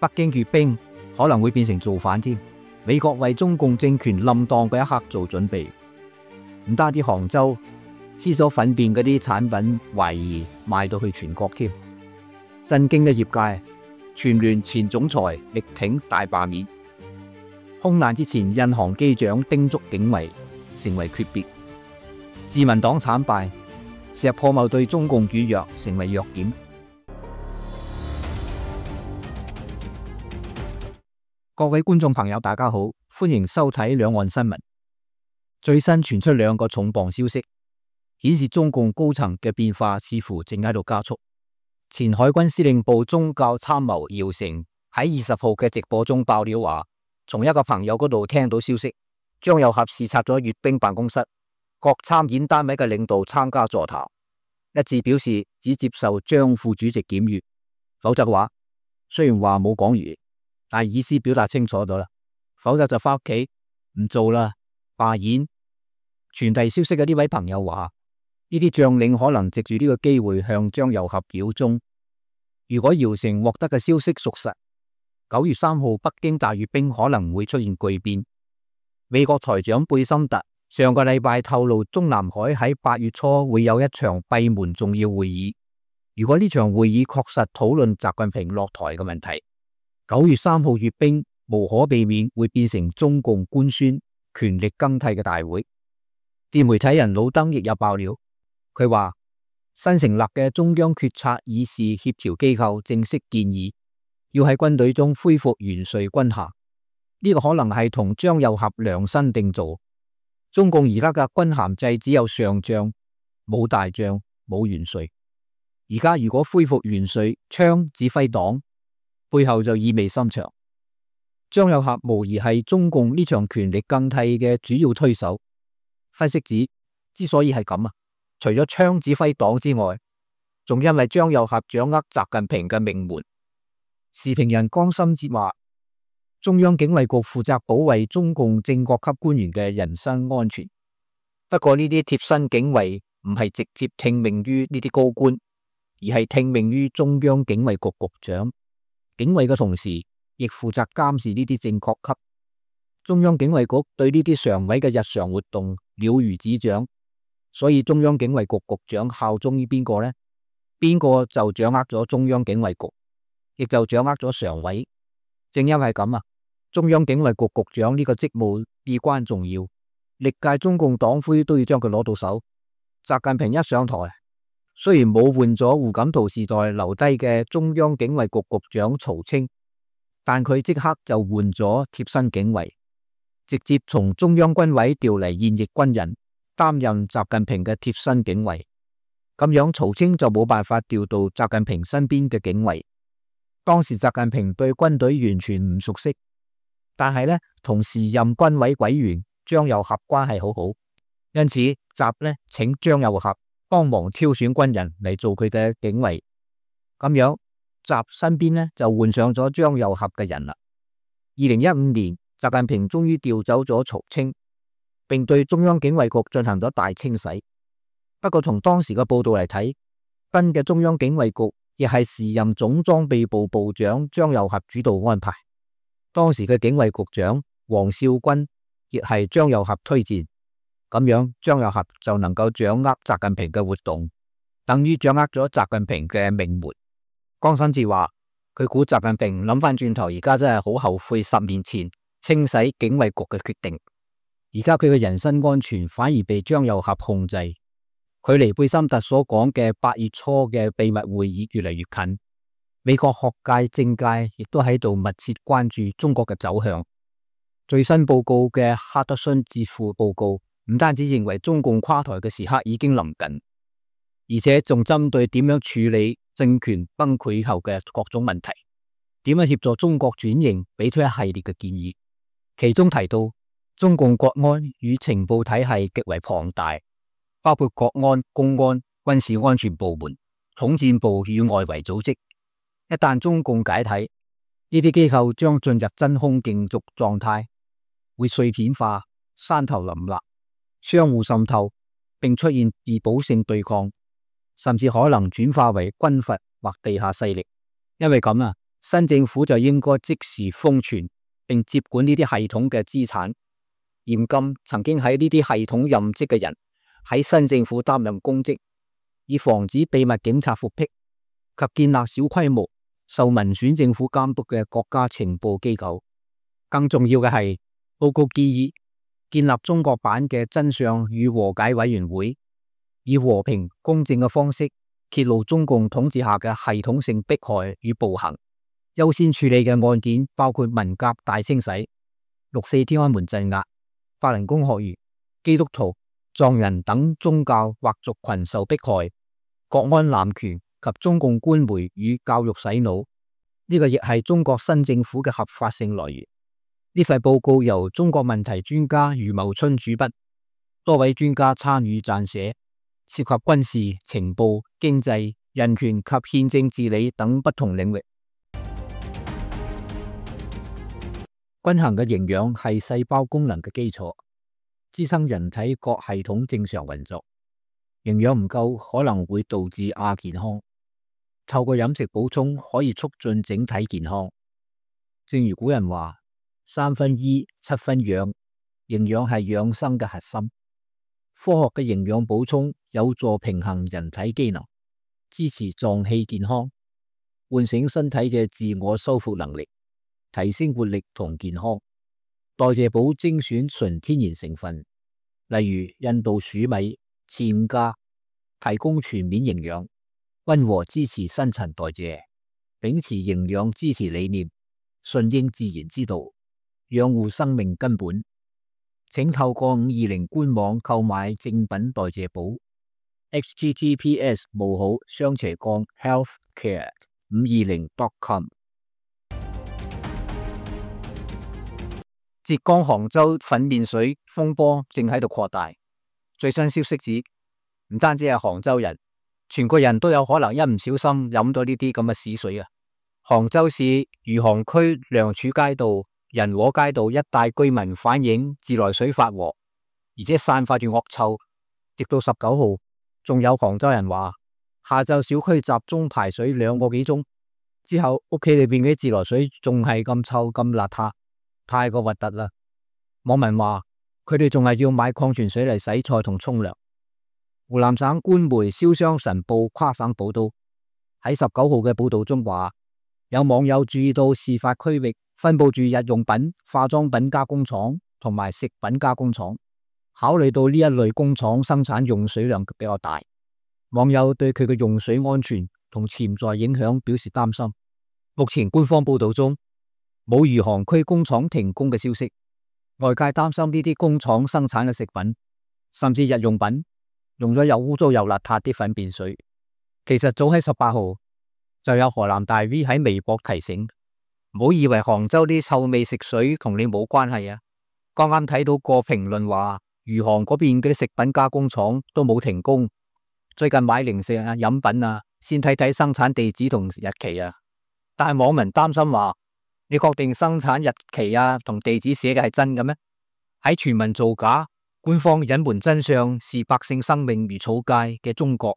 北京閱兵可能會變成造反添。美國為中共政權冧檔嘅一刻做準備，唔單止杭州黐咗糞便嗰啲產品，懷疑賣到去全國添。震驚嘅業界，全聯前總裁力挺大罷免。空難之前，印航機長叮囑警衛成為訣別。自民黨慘敗，石破茂對中共軟弱成為弱點。各位觀眾朋友，大家好，歡迎收睇兩岸新聞。最新傳出兩個重磅消息，顯示中共高層嘅變化似乎正喺度加速。前海軍司令部宗教參謀姚成喺20號嘅直播中爆料話，從一個朋友嗰度聽到消息，張又俠視察咗閱兵辦公室，各參演單位嘅領導參加座談，一致表示只接受張副主席檢閱，否則嘅話，雖然話冇講完，但意思表達清楚咗啦，否則就翻屋企唔做啦，罷演。傳遞消息嘅呢位朋友話，呢啲將領可能藉住呢個機會向張又俠表忠。如果姚成獲得嘅消息屬實，9月3號北京大閱兵可能會出現巨變。美國財長貝森特上個禮拜透露，中南海喺8月初會有一場閉門重要會議。如果呢場會議確實討論習近平落台嘅問題，9月3號閱兵無可避免會變成中共官宣權力更替嘅大會。自媒體人老登亦有爆料，佢話新成立嘅中央決策議事協調機構正式建議，要喺軍隊中恢復元帥軍銜。呢個可能係同張又俠量身定做。中共而家嘅軍銜制只有上將，冇大將，冇元帥。而家如果恢復元帥槍指揮黨，背後就意味深長。張又俠無疑係中共呢場權力更替嘅主要推手。分析指，之所以係咁啊，除咗槍指揮黨之外，仲因為張又俠掌握習近平嘅命門。時評人江心哲話，中央警衛局負責保衛中共正國級官員嘅人身安全。不過呢啲貼身警衛唔係直接聽命於呢啲高官，而係聽命於中央警衛局局長。警衛嘅同時，亦負責監視呢啲正國級。中央警衛局對呢啲常委嘅日常活動了如指掌，所以中央警衛局局長效忠於邊個呢？邊個就掌握咗中央警衛局，亦就掌握咗常委。正因為咁啊，中央警衛局局長呢個職務至關重要，歷屆中共黨魁都要將佢攞到手。習近平一上台，雖然冇換咗胡錦濤時代留低嘅中央警衛局局長曹清，但佢即刻就換咗貼身警衛，直接從中央軍委調嚟現役軍人擔任習近平嘅貼身警衛。咁樣曹清就冇辦法調到習近平身邊嘅警衛。當時習近平對軍隊完全唔熟悉，但係呢，同時任軍委委員張又俠關係好好，因此習呢請張又俠幫忙挑選軍人嚟做佢嘅警衛。咁樣習身邊呢就換上咗張又俠嘅人啦。2015年，習近平終於調走咗曹清，並對中央警衛局進行咗大清洗。不過從當時嘅報道嚟睇，新嘅中央警衛局亦係時任總裝備部部長張又俠主導安排。當時嘅警衛局長王少軍亦係張又俠推薦，咁樣張又俠就能夠掌握習近平嘅活動，等於掌握咗習近平嘅命門。江新志話，佢估習近平諗翻轉頭，而家真係好後悔10年前清洗警衛局嘅決定。而家佢嘅人身安全反而被張又俠控制，距離貝森特所講嘅8月初嘅秘密會議越嚟越近。美國學界、政界亦都喺度密切關注中國嘅走向。最新報告嘅哈德遜智庫報告唔單止認為中共垮台嘅時刻已經臨近，而且仲針對點樣處理政權崩潰後嘅各種問題，點樣協助中國轉型，俾出一系列嘅建議。其中提到，中共國安與情報體系極為龐大，包括國安、公安、軍事安全部門、統戰部與外圍組織。一旦中共解體，呢啲機構將進入真空競逐狀態，會碎片化、山頭林立、相互滲透，並出現自保性對抗，甚至可能轉化為軍閥或地下勢力。因為咁啊，新政府就應該即時封存並接管呢啲系統嘅資產，嚴禁曾經喺呢啲系統任職嘅人喺新政府擔任公職，以防止秘密警察復辟，及建立小規模受民選政府監督嘅國家情報機構。更重要嘅係，報告建議建立中國版嘅真相與和解委員會，以和平公正嘅方式揭露中共統治下嘅系統性迫害與暴行。優先處理嘅案件包括文革大清洗、六四天安門鎮壓、法輪功學員、基督徒、藏人等宗教或族群受迫害、國安濫權及中共官媒與教育洗腦。呢個亦係中國新政府嘅合法性來源。呢份報告由中國問題專家余茂春主筆，多位專家參與撰寫，涉及軍事、情報、經濟、人權及憲政治理等不同領域。均衡嘅營養係細胞功能嘅基礎，支撐人體各系統正常運作。營養唔夠可能會導致亞健康，透過飲食補充可以促進整體健康。正如古人話：3分醫，7分養，營養係養生嘅核心。科學嘅營養補充有助平衡人體機能，支持臟器健康，喚醒身體嘅自我修復能力，提升活力同健康。代謝寶精選純天然成分，例如印度黍米、次五加，提供全面營養，溫和支持新陳代謝，秉持營養支持理念，順應自然之道，養護生命根本。請透過520官網購買正品代謝寶 https://healthcare520.com。浙江杭州粉面水風波正喺度擴大，最新消息指，唔單止係杭州人，全國人都有可能一唔小心飲到呢啲咁嘅屎水啊！杭州市餘杭區良柱街道、仁和街道一帶居民反映自來水發黃，而且散發住惡臭。直到19號，仲有杭州人話，下晝小區集中排水2個幾鐘之後，屋企裏邊嘅自來水仲係咁臭咁邋遢，太過核突啦！網民話佢哋仲係要買礦泉水嚟洗菜同沖涼。湖南省官媒《瀟湘晨報》跨省報道，喺19號嘅報道中話，有網友注意到事發區域分布住日用品、化妝品加工廠同埋食品加工廠。考慮到呢一類工廠生產用水量比較大，網友對佢嘅用水安全同潛在影響表示擔心。目前官方報道中冇餘杭區工廠停工嘅消息，外界擔心呢啲工廠生產嘅食品甚至日用品用咗又污糟又邋遢啲糞便水。其實早喺18號就有河南大 V 喺微博提醒，唔好以為杭州啲臭味食水同你冇關係啊！剛啱睇到個評論話，餘杭嗰邊嗰啲食品加工廠都冇停工，最近買零食啊、飲品啊，先睇睇生產地址同日期啊。但係網民擔心話，你確定生產日期啊同地址寫嘅係真嘅咩？喺全民造假、官方隱瞞真相、視百姓生命如草芥嘅中國，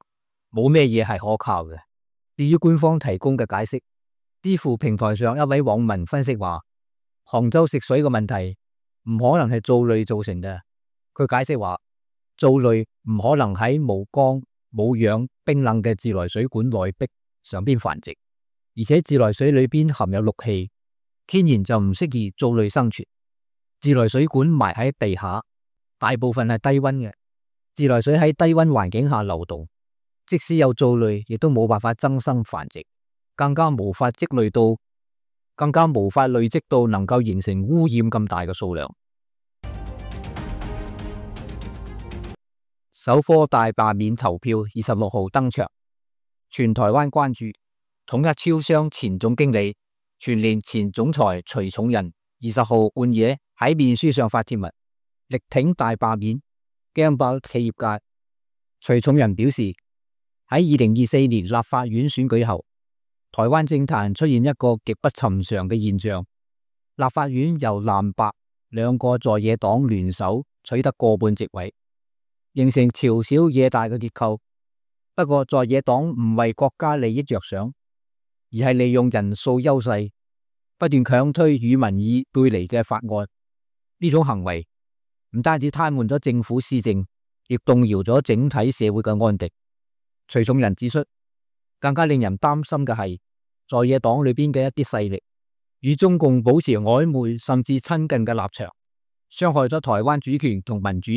冇咩嘢係可靠嘅。至於官方提供嘅解釋，知乎平台上一位網民分析話，杭州食水嘅問題唔可能係藻類造成嘅。佢解釋話，藻類唔可能喺無缸、冇氧、冰冷嘅自來水管內壁上邊繁殖，而且自來水裏邊含有氯氣，天然就唔適宜藻類生存。自來水管埋喺地下，大部分係低溫嘅，自來水喺低溫環境下流動，即使有藻類，亦都冇辦法增生繁殖，更加無法累積到能夠形成污染咁大嘅數量。首科大罷免投票26號登場，全台灣關注。統一超商前總經理、全聯前總裁徐重仁20號半夜喺面書上發帖文，力挺大罷免，驚爆企業界。徐重仁表示，喺2024年立法院選舉後，台灣政壇出現一個極不尋常嘅現象，立法院由藍白兩個在野黨聯手取得過半席位，形成朝小野大嘅結構。不過在野黨唔為國家利益着想，而而係利用人數優勢，不斷強推與民意背離嘅法案。呢種行為唔單止癱瘓咗政府施政，亦動搖咗整體社會嘅安定。徐重仁指出，更加令人擔心嘅係在野黨裏邊嘅一啲勢力與中共保持曖昧甚至親近嘅立場，傷害咗台灣主權同民主。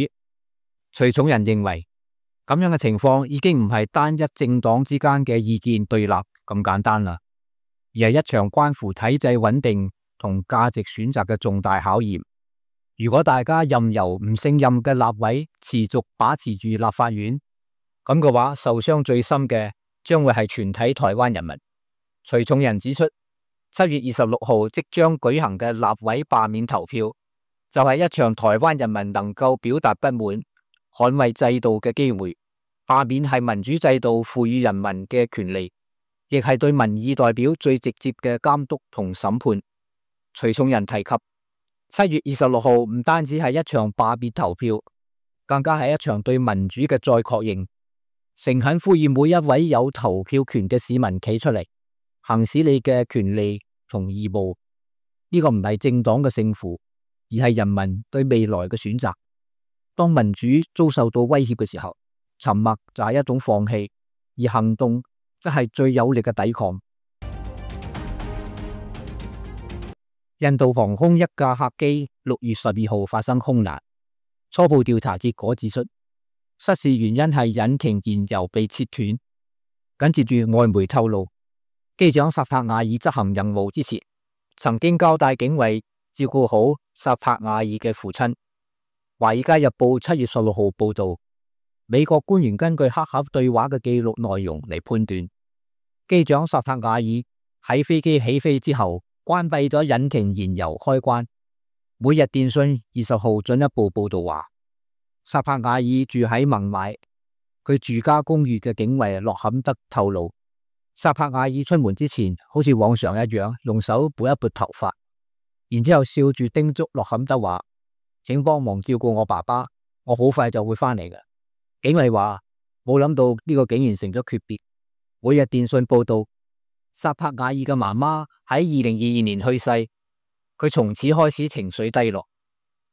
徐重仁認為，咁樣嘅情況已經唔係單一政黨之間嘅意見對立咁簡單啦，而係一場關乎體制穩定同價值選擇嘅重大考驗。如果大家任由唔勝任嘅立委持續把持住立法院，咁嘅話，受傷最深嘅將會係全體台灣人民。徐重仁指出，7月26號即將舉行嘅立委罷免投票，就係一場台灣人民能夠表達不滿、捍衛制度嘅機會。罷免係民主制度賦予人民嘅權利，亦係對民意代表最直接嘅監督同審判。徐重仁提及，7月26號唔單止係一場罷免投票，更加係一場對民主嘅再確認。誠懇呼籲每一位有投票權嘅市民企出嚟，行使你嘅權利同義務。呢個唔係政黨嘅勝負，而係人民對未來嘅選擇。當民主遭受到威脅嘅時候，沉默就係一種放棄，而行動則係最有力嘅抵抗。印度航空一架客機6月12號發生空難，初步調查結果指出，失事原因係引擎燃油被切斷。緊接住外媒透露，機長薩帕瓦爾執行任務之前，曾經交代警衛照顧好薩帕瓦爾嘅父親。華爾街日報7月16號報道，美國官員根據黑盒對話嘅記錄內容嚟判斷，機長薩帕瓦爾喺飛機起飛之後關閉咗引擎燃油開關。每日電訊20號進一步報道話，薩帕瓦爾住喺孟買，佢住家公寓嘅警衛洛坎德透露，薩帕瓦爾出門之前好似往常一樣用手撥一撥頭髮，然之後笑住叮囑洛坎德話，請幫忙照顧我爸爸，我好快就會翻嚟嘅。警衛話冇諗到呢個竟然成咗訣別。每日電訊報道，薩帕瓦爾嘅媽媽喺2022年去世，佢從此開始情緒低落，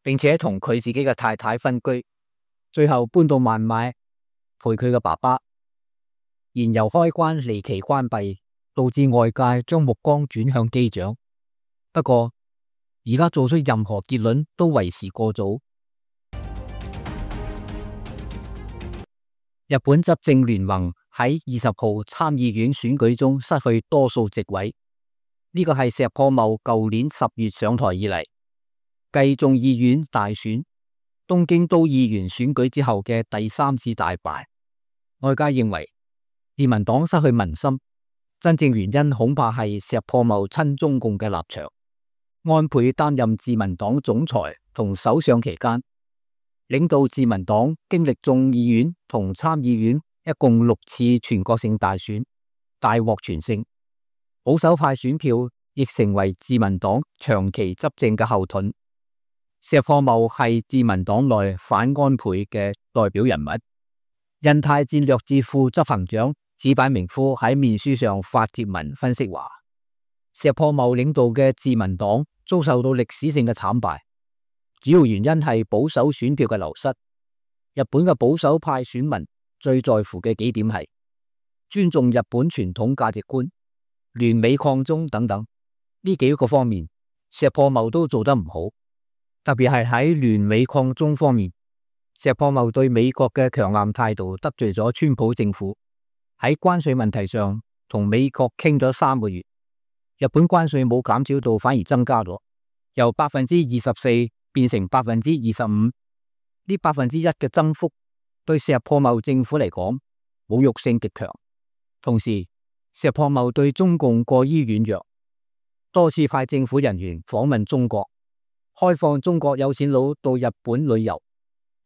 並且同佢自己嘅太太分居，最後搬到孟買陪佢嘅爸爸。燃油開關離奇關閉，導致外界將目光轉向機長。不過而家做出任何結論都為時過早。日本執政聯盟喺20號參議院選舉中失去多數席位，呢個係石破茂舊年10月上台以嚟，繼眾議院大選、東京都議員選舉之後嘅第3次大敗。外界認為自民黨失去民心，真正原因恐怕係石破茂親中共嘅立場。安倍擔任自民黨總裁同首相期間，領導自民黨經歷眾議院同參議院一共6次全國性大選，大獲全勝。保守派選票亦成為自民黨長期執政嘅後盾。石破茂係自民黨內反安倍嘅代表人物。印太戰略智庫執行長矢板明夫喺面書上發帖文分析話，石破茂領導嘅自民黨遭受到歷史性嘅慘敗。主要原因係保守選票嘅流失。日本嘅保守派選民最在乎嘅幾點係尊重日本傳統價值觀、聯美抗中等等。呢幾個方面，石破茂都做得唔好。特別係喺聯美抗中方面，石破茂對美國嘅強硬態度得罪咗川普政府。喺關稅問題上，同美國傾咗3個月，日本關稅冇減少到，反而增加咗，由24%變成25%，呢1%嘅增幅對石破茂政府嚟講侮辱性極強。同時，石破茂對中共過於軟弱，多次派政府人員訪問中國，開放中國有錢佬到日本旅遊，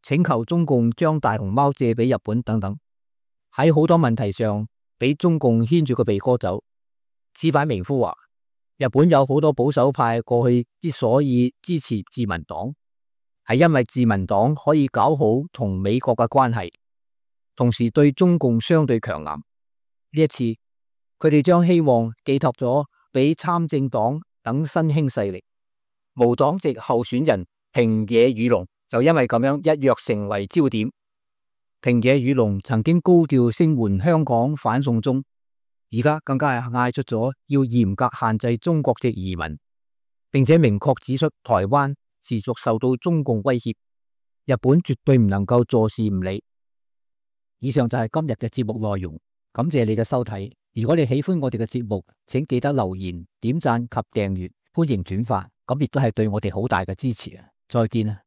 請求中共將大熊貓借俾日本等等。喺好多問題上俾中共牽住個鼻哥走。矢板明夫話，日本有好多保守派過去之所以支持自民黨，係因為自民黨可以搞好同美國嘅關係，同時對中共相對強硬。呢一次佢哋將希望寄託咗俾參政黨等新興勢力。無黨籍候選人平野宇龍就因為咁樣一躍成為焦點。平野宇龍曾經高調聲援香港反送中，而家更加係嗌出咗要嚴格限制中國籍移民，並且明確指出台灣持續受到中共威脅，日本絕對唔能夠坐視唔理。以上就係今日嘅節目內容，感謝你嘅收睇。如果你喜歡我哋嘅節目，請記得留言、點讚及訂閱，歡迎轉發，咁亦都係對我哋好大嘅支持啊！再見啊！